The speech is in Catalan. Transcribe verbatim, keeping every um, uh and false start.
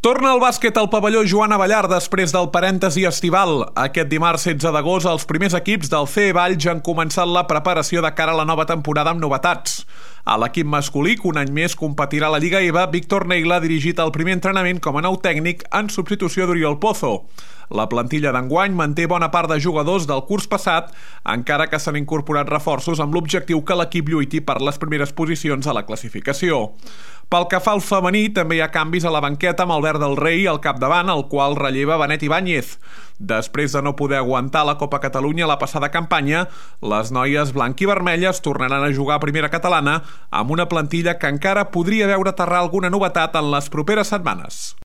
Torna el bàsquet al pavelló Joan Abellar després del parèntesi estival. Aquest dimarts setze d'agost els primers equips del C E Valls han començat la preparació de cara a la nova temporada amb novetats. A l'equip masculí, que un any més competirà a la Lliga E V A, Víctor Neila ha dirigit el primer entrenament com a nou tècnic en substitució d'Oriol Pozo. La plantilla d'enguany manté bona part de jugadors del curs passat, encara que s'han incorporat reforços amb l'objectiu que l'equip lluiti per les primeres posicions a la classificació. Pel que fa al femení, també hi ha canvis a la banqueta amb Albert del Rei al capdavant, el qual relleva Benet Ibáñez. Després de no poder aguantar la Copa Catalunya la passada campanya, les noies blanc-i-vermelles tornaran a jugar a primera catalana amb una plantilla que encara podria veure aterrar alguna novetat en les properes setmanes.